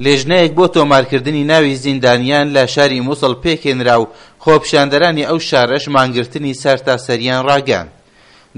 لیژنەیەک بۆ تۆمارکردنی ناوی زیندانیان لە شاری موسڵ پێکهێنرا و خۆپیشاندەرانی ئەو شارەش مانگرتنی سەرتاسەرییان ڕاگەیاند.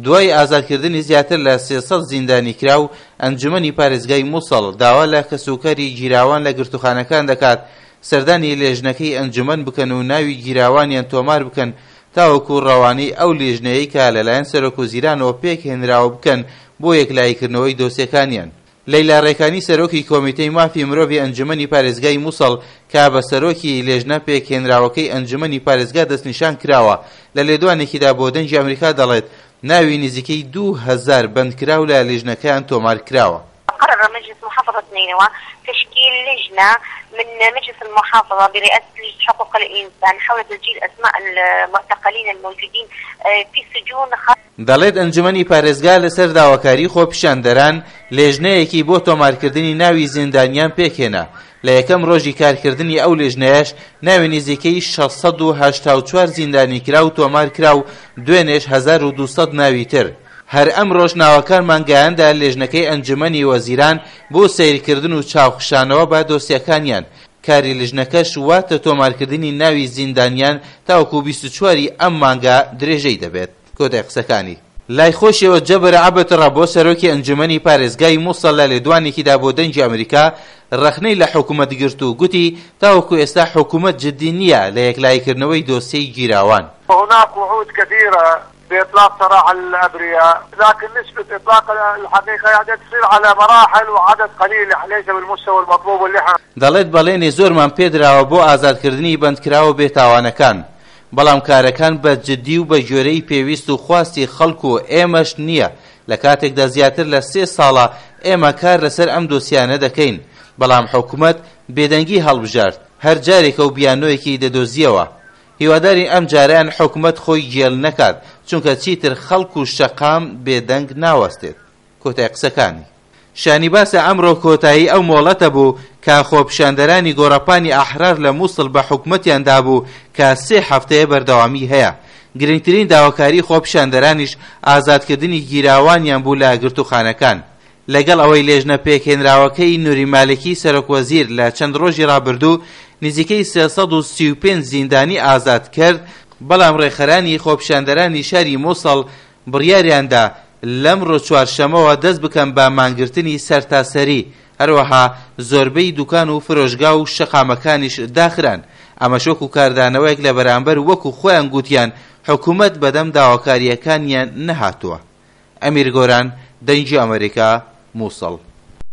دوای ئازادکردنی زیاتر لە 300 زیندانیکراو، ئەنجومەنی پارێزگای موسڵ داوا لە کەسوکاری گیراوان لە گرتوخانەکان دەکات سەردانی لێژنەکەی ئەنجومەن بکەن و ناوی گیراوانیان تۆمار بکەن تاوەکو ڕەوانەی ئەو لیژنەیەی کە لەلایەن سەرۆکوەزیرانەوە پێکهێنراوە بکەن بۆ یەکلاییکردنەوەی دۆسیەکانیان. لەیلا ڕێکانی سەرۆکی کۆمیتەی مافی مرۆڤی ئەنجومەنی پارێزگای موسڵ کە بە سەرۆکی لێژنە پێکهێنراوەکەی ئەنجومەنی پارێزگا دەستنیشان کراوە لە لێدوانێکیدا بۆ دەنگی ئەمریکا دەڵێت ناوی نزیکەی 2000 بەندکراو لە لیژنەکەیان تۆمار کراوە. قرر مجلس محافظة نينوى تشكيل لجنة من مجلس المحافظة برئاسة لجنة حقوق الإنسان حول تسجيل أسماء المعتقلين الموجودين في السجون. دەڵێت ئەنجومەنی پارێزگا لەسەر داواکاری خۆپیشاندەران لێژنەیەکی بۆ تۆمارکردنی ناوی زیندانیان پێکهێنا، لە یەکەم ڕۆژی کارکردنی ئەو لێژنەیەش ناوی نزیکەی 684 زیندانیکراو تۆمارکرا و دوێنێش 1200 ناوی تر. هەر ئەمڕۆش ناوەکانمان گەیاندە لێژنەکەی ئەنجومەنی وەزیران بۆ سەیرکردن و چاوخشانەوە بە دۆسیەکانیان، کاری لژنەکەش واتە تۆمارکردنی ناوی زیندانیان تاوەکو 24 ی ئەم مانگە درێژەی دەبێت. کۆتای قسەکانی. لای خۆشیەوە جەبر عەبد ڕەبۆ سەرۆکی ئەنجومەنی پارێزگای موسڵ لە لێدوانێکیدا بۆ دەنگی ئەمریکا ڕەخنەی لە حکومەت گرت و گوتی تاوەکو ئێستا حکومەت جدی نییە لە یەکلاییکردنەوەی دۆسیەی گیراوان. هناك وعود كثيرة بإطلاق سراح الأبرياء لكن نسبة إطلاق الحقيقة يعني تصير على مراحل وعدد قليل ليس بالمستوى المطلوب واللي احنا دەڵێت بەڵێنی زۆرمان پێدراوە بۆ ئازادکردنی بەندکراوە بێتاوانەکان، بەڵام کارەکان بە جدی و بە گوێرەی پێویست و خواستی خەڵک و ئێمەش نییە، لە کاتێکدا زیاتر لە سێ ساڵە ئێمە کار لەسەر ئەم دۆسیانە دەکەین، بەڵام حکومەت بێدەنگی هەڵبژارد، هەر جارێکە و بیانۆیەکی دەدۆزییەوە. هیوادارین ئەمجارەیان حکومەت خۆی گێل نەکات، چونکە چیتر خەڵک و شەقام بێدەنگ ناوەستێت. کۆتای قسەکانی. شانی باسە ئەمڕۆ کۆتایی ئەو مۆڵەتە بوو کە خۆپیشاندەرانی گۆڕەپانی ئەحرار لە موسڵ بە حکومەتیان دابوو کە سێ هەفتەیە بەردەوامی هەیە. گرنگترین داواکاری خۆپیشاندەرانیش ئازادکردنی گیراوانیان بوو لە گرتووخانەکان. لەگەڵ ئەوەی لێژنە پێکهێنراوەکەی نوری مالکی سەرۆک وەزیر لە چەند ڕۆژی ڕابردوو نزیکەی 335 زیندانی ئازاد کرد، بەڵام ڕێکخەرانی خۆپیشاندەرانی شاری موسڵ بڕیاریاندا لەمڕۆ چوارشەمەوە دەست بکەن بە مانگرتنی سەرتاسەری، هەروەها زۆربەی دوکان و فرۆشگا و شەقامەکانیش داخران، ئەمەش وەکو کاردانەوەیەک لە بەرامبەر وەکو خۆیان گوتیان حکومەت بەدەم داواکارییەکانیان نەهاتووە. ئەمیر گۆران، دەنگی ئەمەریکا، موسڵ.